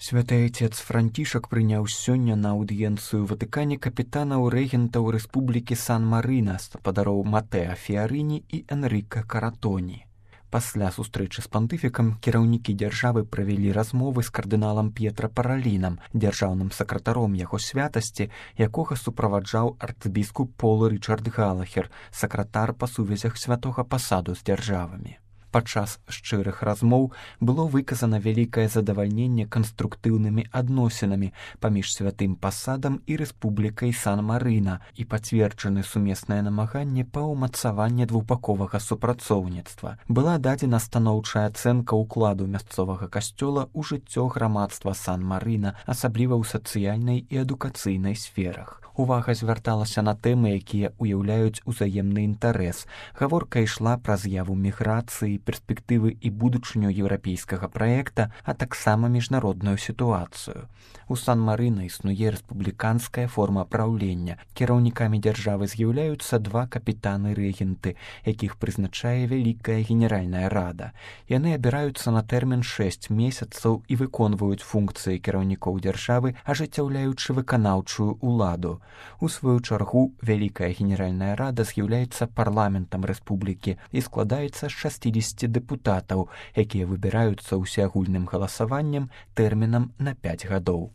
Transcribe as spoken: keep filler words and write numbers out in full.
Святы Айцец Францішак прыняў сёння на аўдыенцыю Ватыкане капітанаў рэгентаў Рэспублікі Сан-Марына, спадароў Матэа Фіарыні і Энрыка Каратоні. Пасля сустрэчы з пантыфікам кіраўнікі дзяржавы правялі размовы з кардыналам П'етра Паралінам, дзяржаўным сакратаром яго святасці, якога суправаджаў арцбіскуп Пол Рычард Галахер, сакратар па сувязях святога пасаду з дзяржавамі. Падчас шчырых размоў было выказана вялікае задавальненне канструктыўнымі адносінамі паміж святым пасадам і Рэспублікай Сан-Марына і пацверджаны сумеснае намаганне па ўмацаванні двухбаковага супрацоўніцтва. Была дадзена станоўчая ацэнка ўкладу мясцовага касцёла ў жыццё грамадства Сан-Марына, асабліва ў сацыяльнай і адукацыйнай сферах. Увага звярталася на тэмы, якія ўяўляюць узаемны інтарэс. Гаворка ішла пра з'яву міграцыі, перспектывы і будучыню еўрапейскага праекта, а таксама міжнародную сітуацыю. У Сан-Марына існуе рэспубліканская форма праўлення. Кіраўнікамі дзяржавы з'яўляюцца два капітаны-рэгенты, якіх прызначае Вялікая Генеральная Рада. Яны абіраюцца на тэрмін шэсць месяцаў і выконваюць функцыі кіраўнікоў дзяржавы, ажыццяўляючы выканаўчую ўладу. У сваю чаргу, Вялікая Генеральная Рада з'яўляецца парламентам рэспублікі і складаецца з шасцідзесяці дэпутатаў, якія выбіраюцца ўсеагульным галасаваннем тэрмінам на пяць гадоў.